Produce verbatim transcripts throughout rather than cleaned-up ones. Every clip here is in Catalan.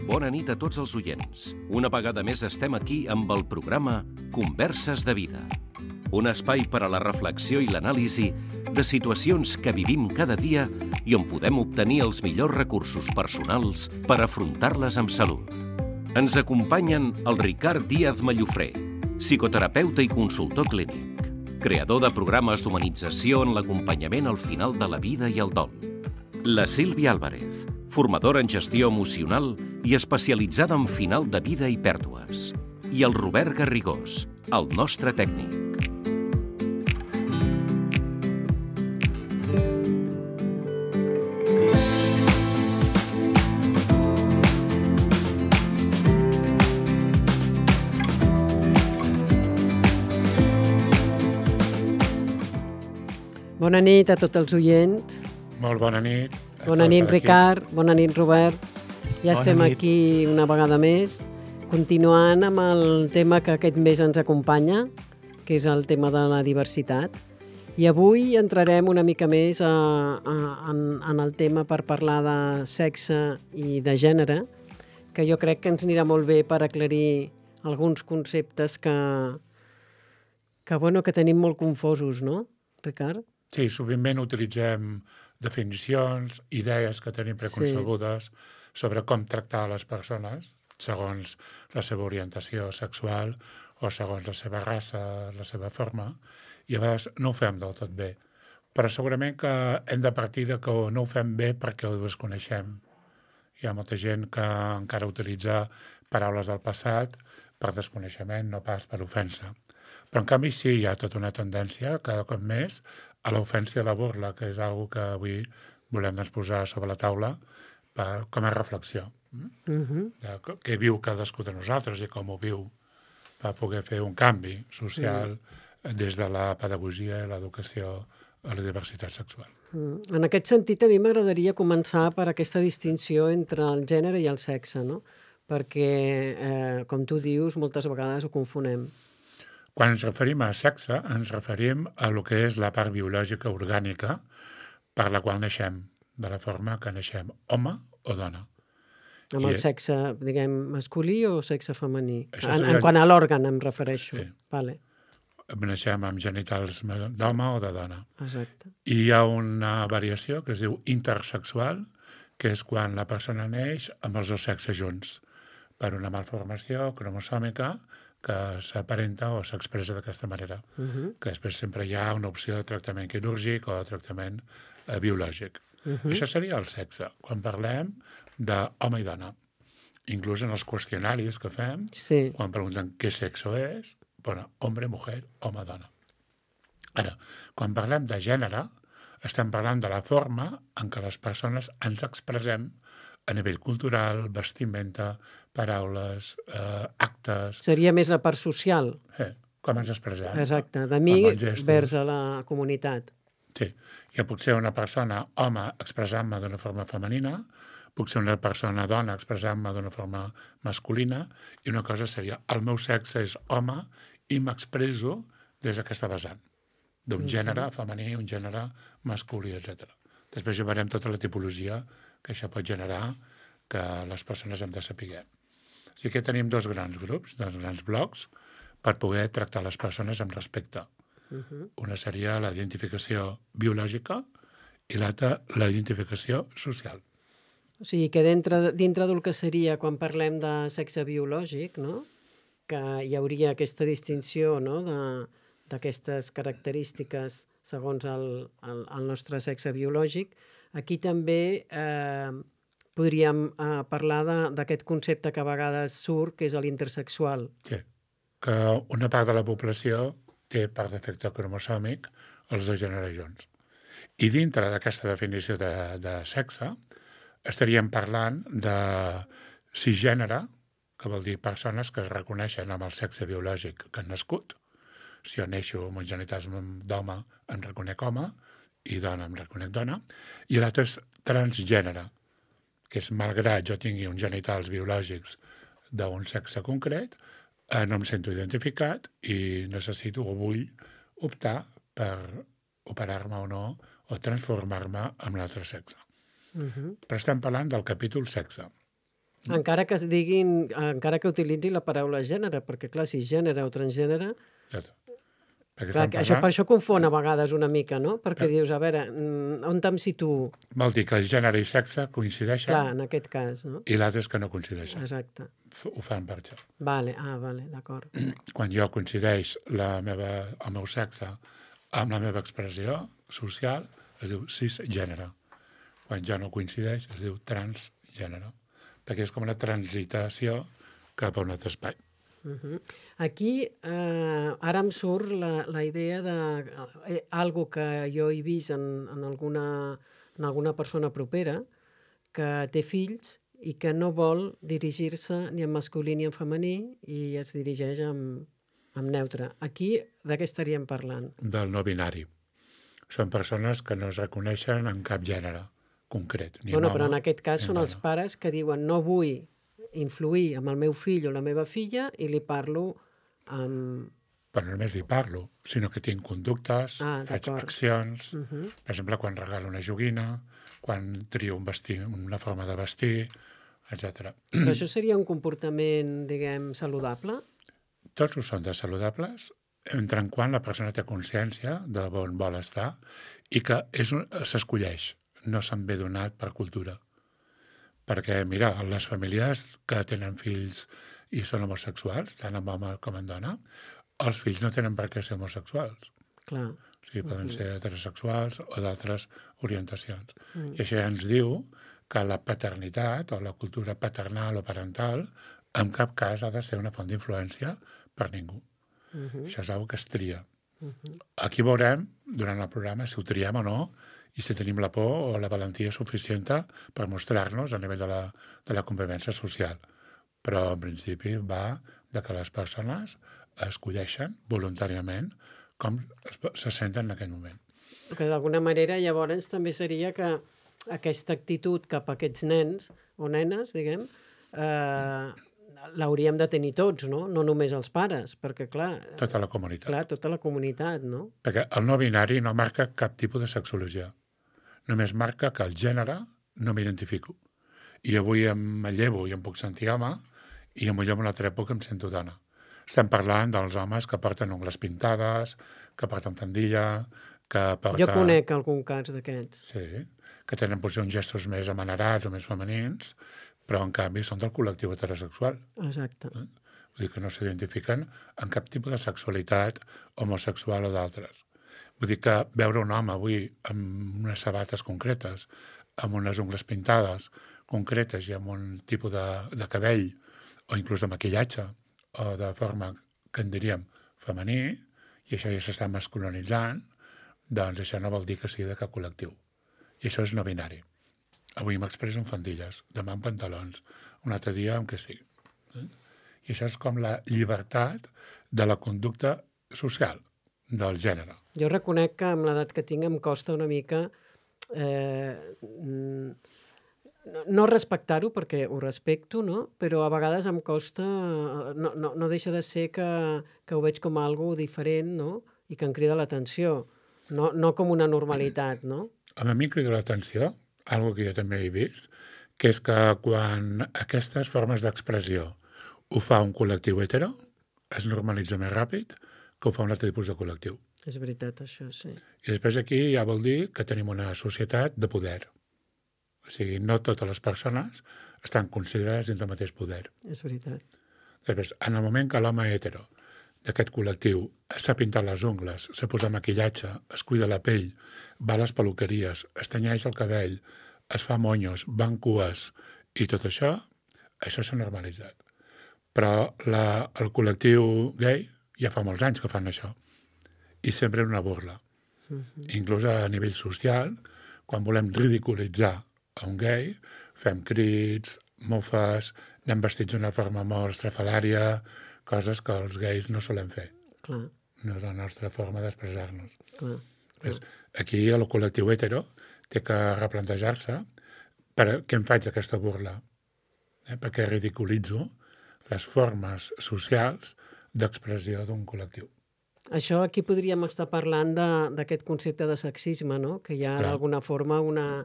bona nit a tots els oients. Una vegada més estem aquí amb el programa Converses de Vida. Un espai per a la reflexió i l'anàlisi de situacions que vivim cada dia i on podem obtenir els millors recursos personals per afrontar-les amb salut. Ens acompanyen el Ricard Díaz Mallofré, psicoterapeuta i consultor clínic, creador de programes d'humanització en l'acompanyament al final de la vida i el dol. La Sílvia Álvarez, formadora en gestió emocional i especialitzada en final de vida i pèrdues. I el Robert Garrigós, el nostre tècnic. Bona nit a tots els oients. Molt bona nit. Bona nit, Ricard. Bona nit, Robert. Ja Bona estem nit. aquí una vegada més, continuant amb el tema que aquest mes ens acompanya, que és el tema de la diversitat. I avui entrarem una mica més a, a, en, en el tema per parlar de sexe i de gènere, que jo crec que ens anirà molt bé per aclarir alguns conceptes que, que, bueno, que tenim molt confosos, no, Ricard? Sí, sovintment utilitzem definicions, idees que tenim preconcebudes sí. sobre com tractar les persones segons la seva orientació sexual o segons la seva raça, la seva forma, i a vegades no ho fem del tot bé. Però segurament que hem de partir de que no ho fem bé perquè ho desconeixem. Hi ha molta gent que encara utilitza paraules del passat per desconeixement, no pas per ofensa. Però en canvi sí, hi ha tota una tendència, cada cop més, a l'ofensa i a la burla, que és una que avui volem doncs, posar sobre la taula per, com a reflexió. Uh-huh. De què viu cadascú de nosaltres i com ho viu per poder fer un canvi social uh-huh. des de la pedagogia i l'educació a la diversitat sexual. Uh-huh. En aquest sentit, a mi m'agradaria començar per aquesta distinció entre el gènere i el sexe, no? Perquè, eh, com tu dius, moltes vegades ho confonem. Quan ens referim a sexe, ens referim a lo que és la part biològica orgànica per la qual naixem, de la forma que naixem, home o dona. Amb I el sexe, diguem, masculí o sexe femení? En, seria... en quant a l'òrgan em refereixo. Sí. Vale. Naixem amb genitals d'home o de dona. Exacte. I hi ha una variació que es diu intersexual, que és quan la persona neix amb els dos sexes junts, per una malformació cromosòmica que s'aparenta o s'expressa d'aquesta manera, uh-huh. que després sempre hi ha una opció de tractament quirúrgic o de tractament eh, biològic. Uh-huh. Això seria el sexe, quan parlem d'home i dona. Inclús en els qüestionaris que fem, sí. quan pregunten què sexe és, bueno, hombre, mujer, home, dona. Ara, quan parlem de gènere, estem parlant de la forma en què les persones ens expressem a nivell cultural, vestimenta, paraules, eh, actes... Seria més la part social. Sí, com ens expressem. Exacte, de mi vers a la comunitat. Sí, ja pot ser una persona home expressant-me d'una forma femenina, puc ser una persona dona expressant-me d'una forma masculina, i una cosa seria, el meu sexe és home i m'expresso des d'aquesta vessant, d'un mm-hmm. gènere femení, un gènere masculí, etcètera. Després ja veurem tota la tipologia que això pot generar que les persones hem de saber. O sigui que tenim dos grans grups, dos grans blocs, per poder tractar les persones amb respecte. Uh-huh. Una seria la identificació biològica i l'altra la identificació social. O sigui que dintre, dintre del que seria quan parlem de sexe biològic, no? Que hi hauria aquesta distinció, no? de, d'aquestes característiques segons el, el, el nostre sexe biològic. Aquí també eh, podríem eh, parlar de, d'aquest concepte que a vegades surt, que és l'intersexual. Sí, que una part de la població té per defecte cromosòmic els dos gèneres junts. I dintre d'aquesta definició de, de sexe estaríem parlant de cisgènere, que vol dir persones que es reconeixen amb el sexe biològic que han nascut. Si jo neixo amb uns genitals d'home, em reconec home, i dona em reconec dona, i l'altre és transgènere, que és malgrat jo tingui uns genitals biològics d'un sexe concret, eh, no em sento identificat i necessito o vull optar per operar-me o no, o transformar-me en l'altre sexe. Uh-huh. Però estem parlant del capítol sexe. Encara que es diguin, encara que utilitzi la paraula gènere, perquè clar, si gènere o transgènere... Perquè clar, estan això, parlant... per això confon a vegades una mica, no? Perquè Eh. dius, a veure, mm, on em situo? Vol dir que el gènere i sexe coincideixen Clar, en aquest cas, no? i l'altre és que no coincideixen. Exacte. F- Ho fan per això. Vale, ah, vale, d'acord. Quan jo coincideix la meva, el meu sexe amb la meva expressió social, es diu cisgènere. Quan ja no coincideix, es diu transgènere. Perquè és com una transitació cap a un altre espai. Uh-huh. Aquí, eh, ara em surt la, la idea de eh, algo que jo he vist en, en, alguna, en alguna persona propera que té fills i que no vol dirigir-se ni en masculí ni en femení i es dirigeix en, en neutre. Aquí, de què estaríem parlant? Del no binari. Són persones que no es reconeixen en cap gènere concret. Ni Bueno, en però home, en aquest cas ni en són els dona. pares que diuen no vull influir amb el meu fill o la meva filla i li parlo amb... Però no només li parlo, sinó que tinc conductes, Ah, faig d'acord. accions, Uh -huh. per exemple, quan regalo una joguina, quan trio un vestir, una forma de vestir, etcètera. Però això seria un comportament, diguem, saludable? Tots ho són de saludables, entre en quan la persona té consciència de on vol estar i que és un- s'escolleix, no se'n ve donat per cultura. Perquè, mira, les famílies que tenen fills i són homosexuals, tant en home com en dona, els fills no tenen per què ser homosexuals. Clar. O sigui, poden ser heterosexuals o d'altres orientacions. Mm. I això ja ens diu que la paternitat o la cultura paternal o parental en cap cas ha de ser una font d'influència per ningú. Uh -huh. Això és una cosa que es tria. Uh -huh. Aquí veurem, durant el programa, si ho triem o no i si tenim la por o la valentia suficient per mostrar-nos a nivell de la, de la convivència social. Però, en principi, va de que les persones escolleixen voluntàriament com es, se senten en aquell moment. Que d'alguna manera llavors també seria que aquesta actitud cap a aquests nens o nenes, diguem, eh, l'hauríem de tenir tots, no? No només els pares, perquè clar... Tota la comunitat. Clar, tota la comunitat, no? Perquè el no binari no marca cap tipus de sexologia. Només marca que el gènere no m'identifico. I avui em llevo i em puc sentir home i potser en una altra època em sento dona. Estem parlant dels homes que porten ungles pintades, que porten fandilla, que porten... Jo conec algun cas d'aquests. Sí, que tenen potser uns gestos més amanerats o més femenins, però en canvi són del col·lectiu heterosexual. Exacte. Eh? Vull dir que no s'identifiquen en cap tipus de sexualitat homosexual o d'altres. Vull dir que veure un home avui amb unes sabates concretes, amb unes ungles pintades concretes i amb un tipus de, de cabell o inclús de maquillatge o de forma que en diríem femení, i això ja s'està masculinitzant, doncs això no vol dir que sigui de cap col·lectiu. I això és no binari. Avui m'expresso en fandilles, demà en pantalons, un altre dia en què sigui. Eh? I això és com la llibertat de la conducta social, del gènere. Jo reconec que amb l'edat que tinc em costa una mica eh, no respectar-ho, perquè ho respecto, no? Però a vegades em costa, no, no, no deixa de ser que, que ho veig com algo diferent, no? I que em crida l'atenció, no, no com una normalitat, no? A mi em crida l'atenció, algo que jo també he vist, que és que quan aquestes formes d'expressió ho fa un col·lectiu hetero, es normalitza més ràpid que ho fa un altre tipus de col·lectiu. És veritat, això, sí. I després aquí ja vol dir que tenim una societat de poder. O sigui, no totes les persones estan considerades dins del mateix poder. És veritat. Després, en el moment que l'home hetero d'aquest col·lectiu s'ha pintat les ungles, s'ha posat maquillatge, es cuida la pell, va a les peluqueries, es tenyeix el cabell, es fa monyos, van cues i tot això, això s'ha normalitzat. Però la, el col·lectiu gay ja fa molts anys que fan això. I sempre és una burla. Uh-huh. Inclús a nivell social, quan volem ridiculitzar a un gay, fem crits, mofes, anem vestits d'una forma molt estrafalària, coses que els gais no solem fer. Clar. No és la nostra forma d'expressar-nos. Clar. Clar. Aquí el col·lectiu hetero té que replantejar-se per què em faig aquesta burla, eh? perquè ridiculitzo les formes socials d'expressió d'un col·lectiu. Això aquí podríem estar parlant d'aquest concepte de sexisme, no? Que hi ha d'alguna forma una,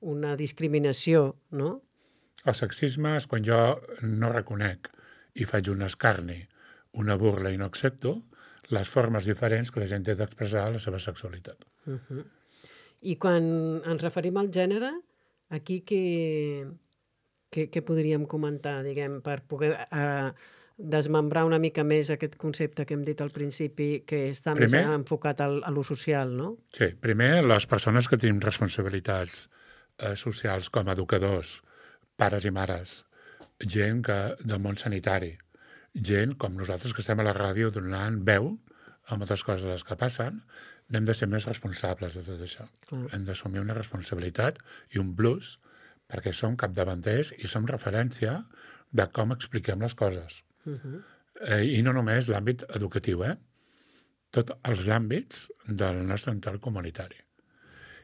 una discriminació, no? El sexisme és quan jo no reconec i faig un escarni, una burla i no accepto les formes diferents que la gent té d'expressar la seva sexualitat. Uh-huh. I quan ens referim al gènere, aquí què, què, què podríem comentar, diguem, per poder eh, desmembrar una mica més aquest concepte que hem dit al principi, que està primer, més enfocat al, a lo social, no? Sí, primer, les persones que tenim responsabilitats eh, socials com a educadors, pares i mares, gent que, del món sanitari, gent com nosaltres que estem a la ràdio donant veu a moltes coses de les que passen, n'hem de ser més responsables de tot això. Clar. Hem d'assumir una responsabilitat i un plus perquè som capdavanters i som referència de com expliquem les coses. Uh-huh. eh, I no només l'àmbit educatiu, eh? Tots els àmbits del nostre entorn comunitari.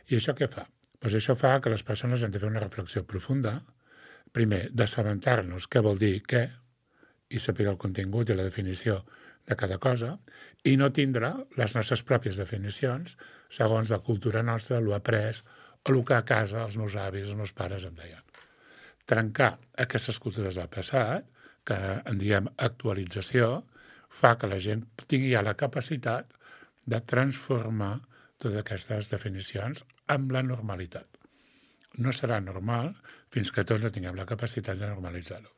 I això què fa? Pues això fa que les persones han de fer una reflexió profunda. Primer, d'assabentar-nos què vol dir què i saber el contingut i la definició de cada cosa i no tindre les nostres pròpies definicions segons la cultura nostra, l'ho après o el que a casa els meus avis, els meus pares em deien. Trencar aquestes cultures del passat, que en diem actualització, fa que la gent tingui ja la capacitat de transformar totes aquestes definicions amb la normalitat. No serà normal fins que tots no tinguem la capacitat de normalitzar-ho.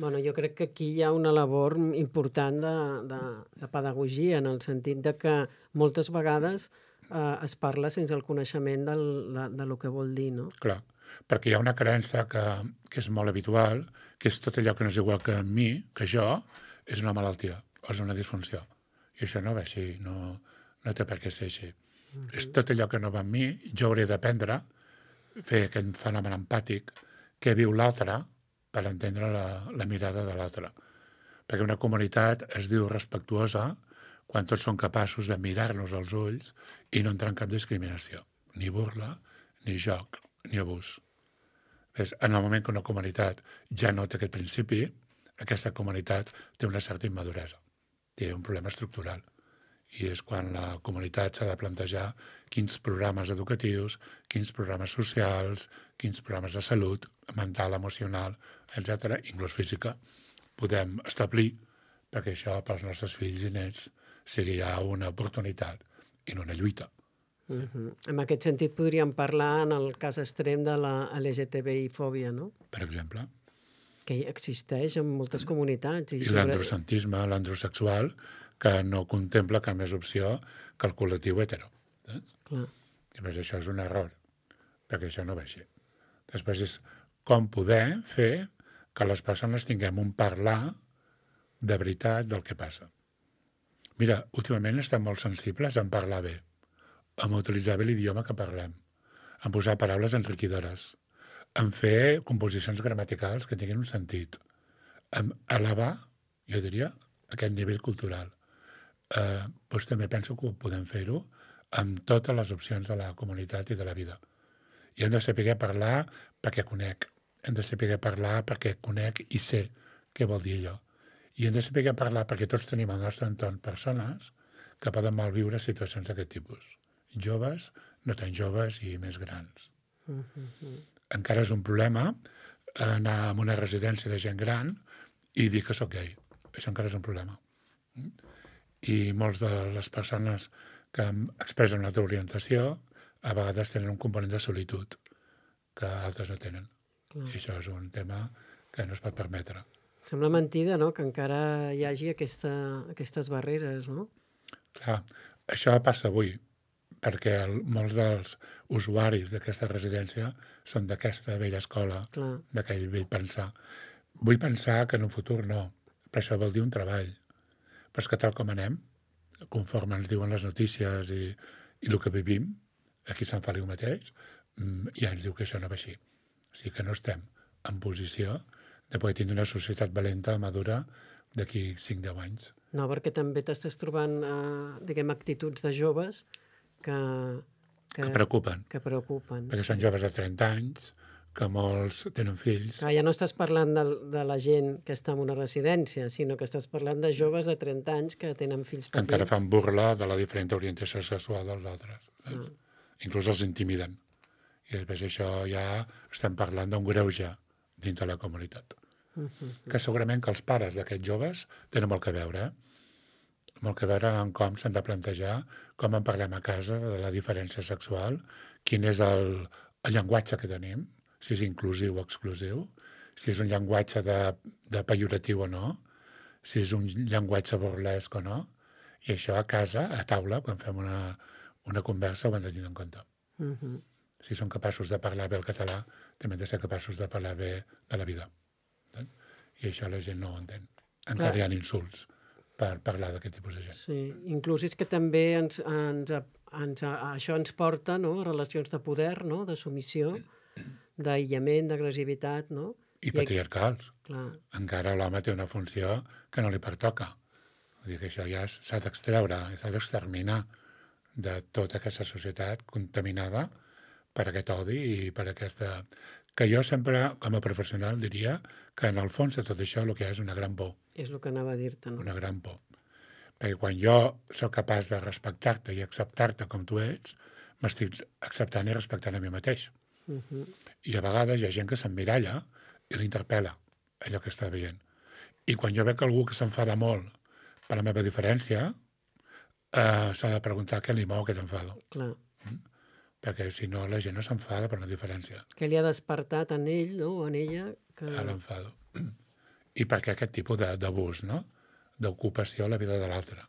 Bueno, jo crec que aquí hi ha una labor important de, de, de pedagogia, en el sentit de que moltes vegades eh, es parla sense el coneixement del, de, de lo que vol dir, no? Clar, perquè hi ha una creença que, que és molt habitual, que és tot allò que no és igual que a mi, que jo, és una malaltia, o és una disfunció. I això no va així, no, no té per què ser així. Uh-huh. És tot allò que no va amb mi, jo hauré d'aprendre fer aquest fenomen empàtic que viu l'altre per entendre la, la mirada de l'altre. Perquè una comunitat es diu respectuosa quan tots són capaços de mirar-nos als ulls i no entrar en cap discriminació, ni burla, ni joc, ni abús. Ves, en el moment que una comunitat ja no té aquest principi, aquesta comunitat té una certa immaduresa, té un problema estructural. I és quan la comunitat s'ha de plantejar quins programes educatius, quins programes socials, quins programes de salut, mental, emocional, etcètera, inclús física, podem establir perquè això pels nostres fills i nets sigui ja una oportunitat i no una lluita. Sí. Uh-huh. En aquest sentit podríem parlar en el cas extrem de la L G T B I-fòbia, no? Per exemple. Que existeix en moltes comunitats. I, I sobre... l'androcentisme, l'androsexual, que no contempla cap més opció que el col·lectiu hetero. Eh? Clar. Després això és un error, perquè això no va així. Després és com poder fer que les persones tinguem un parlar de veritat del que passa. Mira, últimament estem molt sensibles en parlar bé, en utilitzar bé l'idioma que parlem, en posar paraules enriquidores, en fer composicions gramaticals que tinguin un sentit, en elevar, jo diria, aquest nivell cultural. Eh, doncs també penso que ho podem fer-ho amb totes les opcions de la comunitat i de la vida. I hem de saber parlar perquè conec, hem de saber parlar perquè conec i sé què vol dir allò. I hem de saber parlar perquè tots tenim al nostre entorn persones que poden malviure situacions d'aquest tipus. Joves, no tan joves i més grans. Uh-huh. Encara és un problema anar a una residència de gent gran i dir que sóc gay. Això encara és un problema. I molts de les persones que expressen una altra orientació a vegades tenen un component de solitud que altres no tenen. Clar. I això és un tema que no es pot permetre. Sembla mentida, no?, que encara hi hagi aquesta, aquestes barreres, no? Clar, això passa avui, perquè el, molts dels usuaris d'aquesta residència són d'aquesta vella escola, Clar. D'aquell vell pensar. Vull pensar que en un futur no, però això vol dir un treball. Però és que tal com anem, conforme ens diuen les notícies i, i el que vivim, aquí a Sant Feliu mateix, ja ens diu que això no va així. O sigui que no estem en posició de poder tindre una societat valenta, madura, d'aquí cinc a deu anys. No, perquè també t'estàs trobant, eh, diguem, actituds de joves que... Que, que preocupen. Que preocupen. Perquè són joves de trenta anys, que molts tenen fills. Clar, ja no estàs parlant de, de la gent que està en una residència, sinó que estàs parlant de joves de trenta anys que tenen fills petits. Que encara fan burla de la diferent orientació sexual dels altres. Ah. Inclús els intimiden. I després això ja estem parlant d'un greuge dintre la comunitat. Uh -huh. Que segurament que els pares d'aquests joves tenen molt que veure, eh? Molt que veure en com s'han de plantejar, com en parlem a casa de la diferència sexual, quin és el, el llenguatge que tenim, si és inclusiu o exclusiu, si és un llenguatge de, de pejoratiu o no, si és un llenguatge burlesc o no, i això a casa, a taula, quan fem una, una conversa, ho hem de tenir en compte. Uh -huh. Si som capaços de parlar bé el català, també hem de ser capaços de parlar bé de la vida. Eh? I això la gent no ho entén. Encara Clar. hi ha insults per parlar d'aquest tipus de gent. Sí, inclús és que també ens, ens, ens, això ens porta, no?, a relacions de poder, no?, de submissió, d'aïllament, d'agressivitat, no? I patriarcals. Clar. Encara l'home té una funció que no li pertoca. Vull dir que això ja s'ha d'extreure, s'ha d'exterminar de tota aquesta societat contaminada per aquest odi i per aquesta... Que jo sempre, com a professional, diria que en el fons de tot això el que hi ha és una gran por. És el que anava a dir-te, no? Una gran por. Perquè quan jo sóc capaç de respectar-te i acceptar-te com tu ets, m'estic acceptant i respectant a mi mateix. Uh -huh. I a vegades hi ha gent que s'emmiralla i l'interpel·la, allò que està veient. I quan jo veig algú que s'enfada molt per la meva diferència, eh, s'ha de preguntar què li mou aquest enfado. Clar. Mm? Perquè si no, la gent no s'enfada per una diferència. Què li ha despertat en ell, no?, o en ella? Que... A l'enfado. I perquè aquest tipus d'abús, no?, d'ocupació a la vida de l'altre.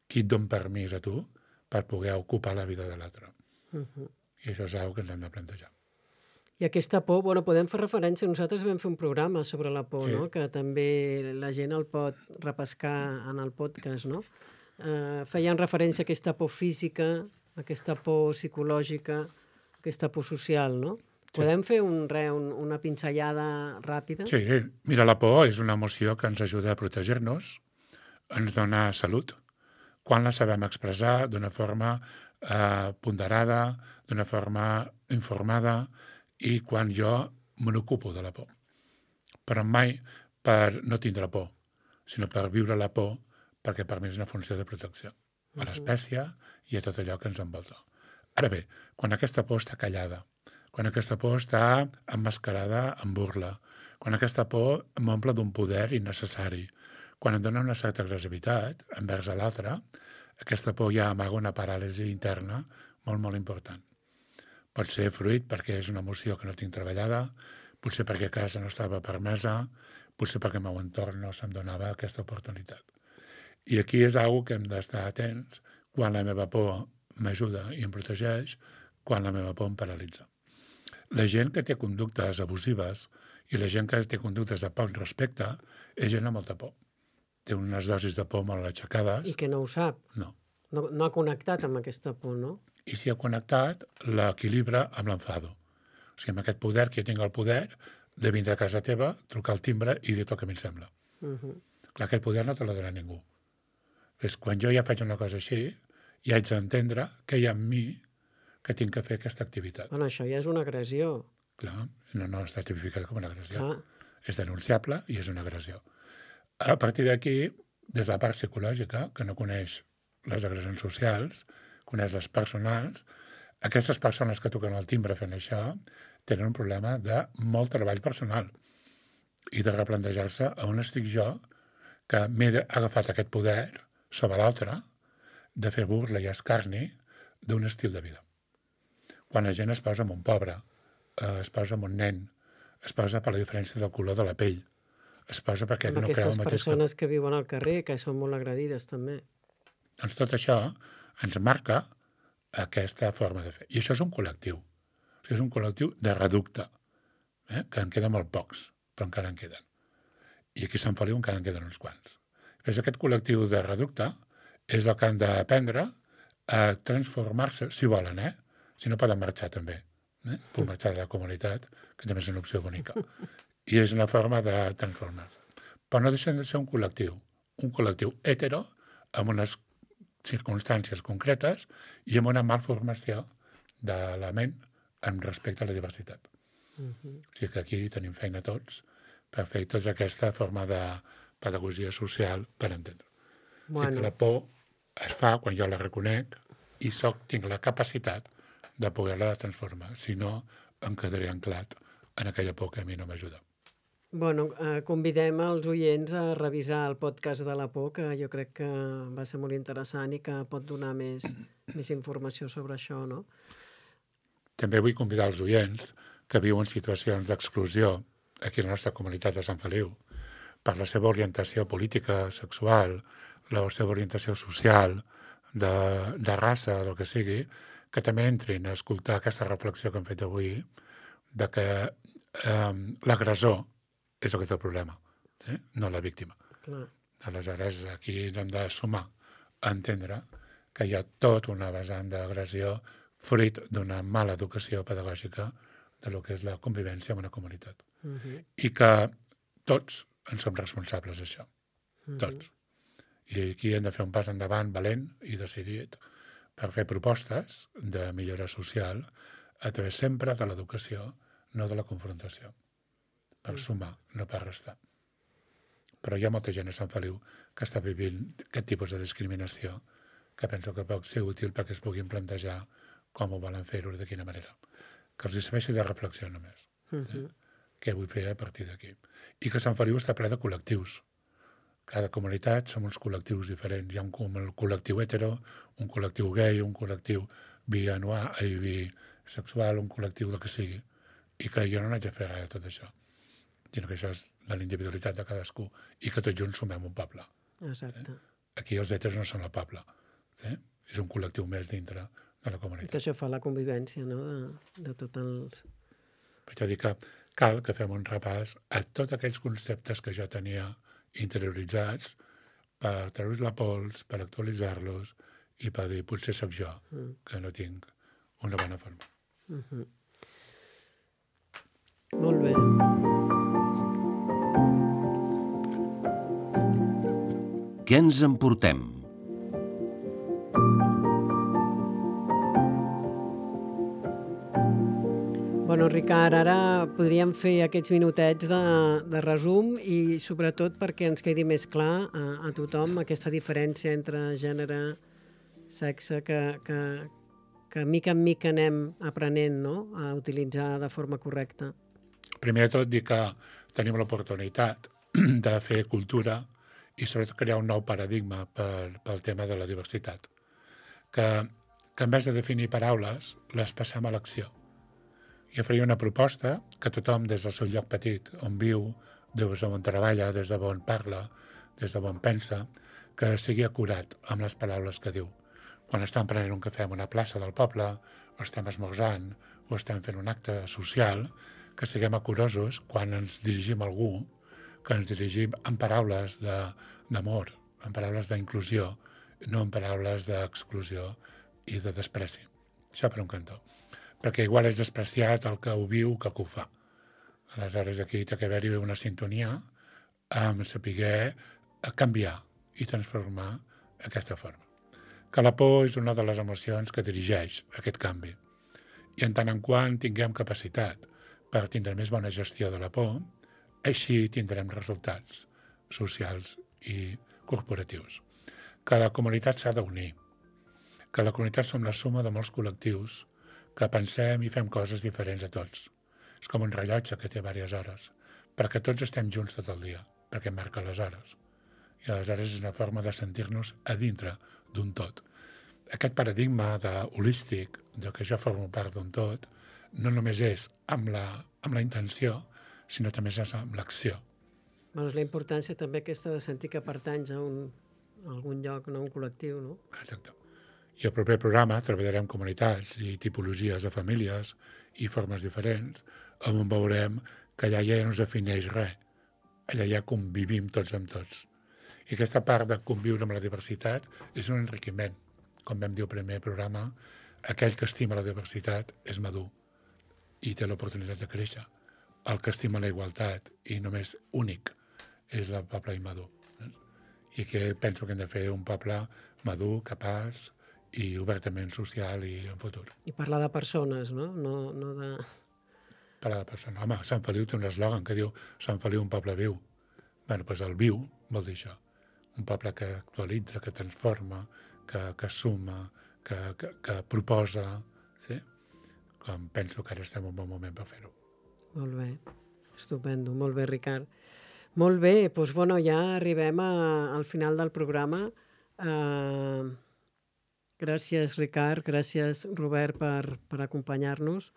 Qui et dona permís a tu per poder ocupar la vida de l'altre? Uh -huh. I això és una cosa que ens hem de plantejar. I aquesta por, bueno, podem fer referència, nosaltres vam fer un programa sobre la por, Sí. no?, que també la gent el pot repescar en el podcast, no? Eh, feien referència a aquesta por física, aquesta por psicològica, aquesta por social, no? Sí. Podem fer un, re, un, una pinzellada ràpida? Sí, mira, la por és una emoció que ens ajuda a protegir-nos, ens dona salut, quan la sabem expressar d'una forma eh, ponderada, d'una forma informada, i quan jo me n'ocupo de la por. Però mai per no tindre por, sinó per viure la por, perquè per mi és una funció de protecció a l'espècie i a tot allò que ens envolta. Ara bé, quan aquesta por està callada, quan aquesta por està emmascarada en burla, quan aquesta por m'omple d'un poder innecessari, quan em dona una certa agressivitat envers l'altre, aquesta por ja amaga una paràlisi interna molt, molt important. Pot ser fruit perquè és una emoció que no tinc treballada, potser perquè a casa no estava permesa, potser perquè el meu entorn no se'm donava aquesta oportunitat. I aquí és una que hem d'estar atents quan la meva por m'ajuda i em protegeix, quan la meva por em paralitza. La gent que té conductes abusives i la gent que té conductes de poc respecte és gent amb molta por. Té unes dosis de por molt aixecades. I que no ho sap. No. No, no ha connectat amb aquesta por, no? I si ha connectat, l'equilibra amb l'enfado. O sigui, amb aquest poder, que jo tinc el poder de vindre a casa teva, trucar al timbre i dir el que a mi em sembla. Uh -huh. Clar, aquest poder no te l'ha donat ningú. És quan jo ja faig una cosa així, ja haig d'entendre què hi ha en mi que tinc que fer aquesta activitat. Bueno, això ja és una agressió. Clar, no, no està tipificat com una agressió. Clar. És denunciable i és una agressió. A partir d'aquí, des de la part psicològica, que no coneix les agressions socials, coneix les personals, aquestes persones que toquen el timbre fent això tenen un problema de molt treball personal i de replantejar-se on estic jo, que m'he agafat aquest poder sobre l'altre, de fer burla i escarni d'un estil de vida. Quan la gent es posa amb un pobre, eh, es posa amb un nen, es posa per la diferència del color de la pell, es posa perquè Amb no creu el aquestes mateix persones que viuen al carrer, que són molt agredides, també. Doncs tot això ens marca aquesta forma de fer. I això és un col·lectiu. O sigui, és un col·lectiu de reducte, eh? que en queden molt pocs, però encara en queden. I aquí a Sant Feliu encara en queden uns quants. És aquest col·lectiu de reducte és el que han d'aprendre a transformar-se, si volen, eh? Si no poden marxar també. Eh? Puc marxar de la comunitat, que també és una opció bonica. I és una forma de transformar-se. Però no deixen de ser un col·lectiu. Un col·lectiu hetero, amb unes circumstàncies concretes i amb una malformació de la ment en respecte a la diversitat. Uh-huh. O sigui que aquí tenim feina tots per fer tota aquesta forma de pedagogia social per entendre. Bueno. O sigui que la por es fa quan jo la reconec i soc, tinc la capacitat de poder-la transformar. Si no, em quedaré anclat en aquella por que a mi no m'ajuda. Bueno, eh, convidem els oients a revisar el podcast de la por, que jo crec que va ser molt interessant i que pot donar més, més informació sobre això, no? També vull convidar els oients que viuen situacions d'exclusió aquí a la nostra comunitat de Sant Feliu per la seva orientació política, sexual, la seva orientació social, de, de raça, del que sigui, que també entrin a escoltar aquesta reflexió que hem fet avui de que eh, l'agressor és el que té el problema, sí? No la víctima. Clar. Aleshores, aquí ens hem de sumar a entendre que hi ha tot una vessant d'agressió fruit d'una mala educació pedagògica de lo que és la convivència en una comunitat. Uh-huh. I que tots en som responsables d'això. Uh-huh. Tots. I aquí hem de fer un pas endavant valent i decidit per fer propostes de millora social a través sempre de l'educació, no de la confrontació. Per sumar, no per restar. Però hi ha molta gent a Sant Feliu que està vivint aquest tipus de discriminació que penso que pot ser útil perquè es puguin plantejar com ho volen fer-ho, de quina manera. Que els serveixi de reflexió només. Uh-huh. Eh? Què vull fer a partir d'aquí. I que Sant Feliu està ple de col·lectius. Cada comunitat som uns col·lectius diferents. Hi ha un col·lectiu hetero, un col·lectiu gay, un col·lectiu bi-anual, i bisexual, un col·lectiu del que sigui. I que jo no n'haig de fer res de tot això. Sinó que això és de la individualitat de cadascú i que tots junts sumem un poble. Exacte. Sí? Aquí els heteros no són el poble. Sí? És un col·lectiu més dintre de la comunitat. I que això fa la convivència, no?, de, de tots els... Per això dic que cal que fem un repàs a tots aquells conceptes que jo tenia interioritzats per treure's la pols, per actualitzar-los i per dir, potser sóc jo, mm. que no tinc una bona forma. Uh-huh. Molt bé. Què ens emportem? Bueno, Ricard, ara podríem fer aquests minutets de, de resum i sobretot perquè ens quedi més clar a, a tothom aquesta diferència entre gènere, sexe, que, que, que mica en mica anem aprenent, no?, a utilitzar de forma correcta. Primer de tot, dir que tenim l'oportunitat de fer cultura i sobretot crear un nou paradigma per, pel tema de la diversitat. Que, que en vez de definir paraules, les passem a l'acció. Jo faria una proposta que tothom des del seu lloc petit, on viu, des d'on treballa, des d'on parla, des d'on pensa, que sigui acurat amb les paraules que diu. Quan estem prenent un cafè en una plaça del poble, o estem esmorzant, o estem fent un acte social, que siguem acurosos quan ens dirigim a algú, que ens dirigim en paraules d'amor, en paraules d'inclusió, no en paraules d'exclusió i de despreci. Això per un cantó. Perquè igual és despreciat el que ho viu que el que ho fa. Aleshores aquí té que haver-hi una sintonia amb saber canviar i transformar aquesta forma. Que la por és una de les emocions que dirigeix aquest canvi. I en tant en quant tinguem capacitat per tindre més bona gestió de la por, així tindrem resultats socials i corporatius. Que la comunitat s'ha d'unir, que la comunitat som la suma de molts col·lectius que pensem i fem coses diferents a tots. És com un rellotge que té diverses hores, perquè tots estem junts tot el dia, perquè marca les hores. I aleshores és una forma de sentir-nos a dintre d'un tot. Aquest paradigma de holístic, de que jo formo part d'un tot, no només és amb la, amb la intenció, sinó també és amb l'acció. Bueno, és la importància també aquesta de sentir que pertanys a, un, a algun lloc, no a un col·lectiu, no? Exacte. I al proper programa treballarem comunitats i tipologies de famílies i formes diferents, on veurem que allà ja no es defineix res. Allà ja convivim tots amb tots. I aquesta part de conviure amb la diversitat és un enriquiment. Com vam dir al primer programa, aquell que estima la diversitat és madur i té l'oportunitat de créixer. El que estima la igualtat i només únic és el poble immadur. I que penso que hem de fer un poble madur, capaç i obertament social i en futur. I parlar de persones, no? No, no de... Parlar de persones. Home, Sant Feliu té un eslògan que diu Sant Feliu, un poble viu. Bé, doncs el viu vol dir això. Un poble que actualitza, que transforma, que, que suma, que, que, que proposa, sí? Com penso que ara estem en un bon moment per fer-ho. Molt bé. Estupendo, molt bé, Ricard. Molt bé, doncs bueno, ja arribem a, al final del programa. Uh, gràcies, Ricard, gràcies, Robert, per, per acompanyar-nos.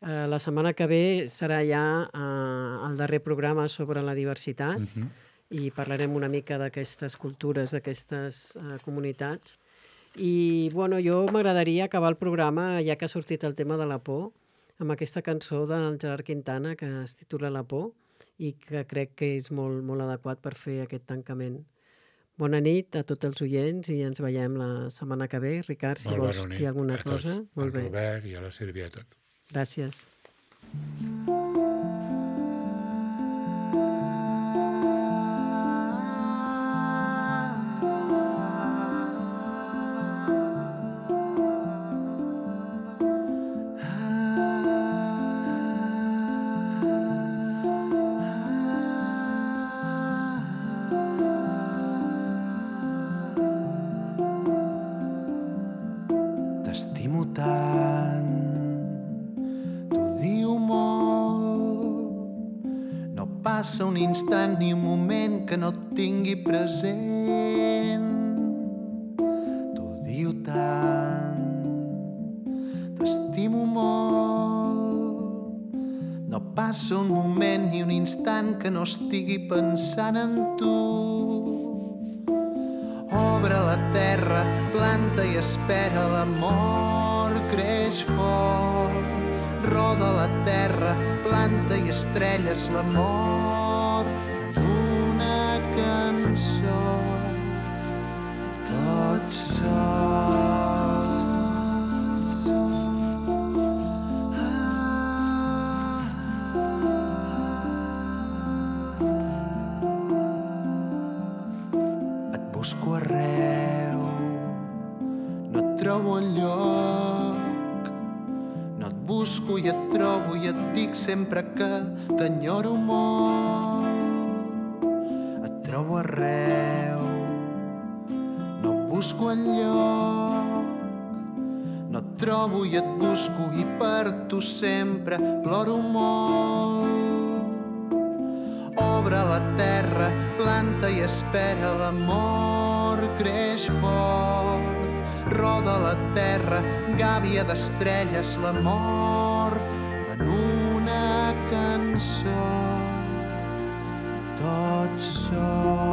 Uh, la setmana que ve serà ja uh, el darrer programa sobre la diversitat uh-huh. i parlarem una mica d'aquestes cultures, d'aquestes uh, comunitats. I bueno, jo m'agradaria acabar el programa, ja que ha sortit el tema de la por, amb aquesta cançó del Gerard Quintana que es titula La por i que crec que és molt, molt adequat per fer aquest tancament. Bona nit a tots els oients i ens veiem la setmana que ve. Ricard, si molt vols dir alguna a tots, cosa. Molt bé. Al Robert i a la Sílvia i a tot. Gràcies. T'estimo tant, t'ho diu molt. No passa un instant ni un moment que no et tingui present. T'ho diu tant, t'estimo molt. No passa un moment ni un instant que no estigui pensant en tu. Obre la terra, planta i espera l'amor, creix fort. Roda la terra, planta i estrelles l'amor en una cançó, tots sols. Et busco arreu, no et trobo enlloc. No et busco i et trobo i et dic sempre que t'enyoro molt. Et trobo arreu, no et busco enlloc. No et trobo i et busco i per tu sempre ploro molt. Obre la terra, planta i espera l'amor, creix fort. Roda la terra, gàbia d'estrelles l'amor en una cançó, tots sols.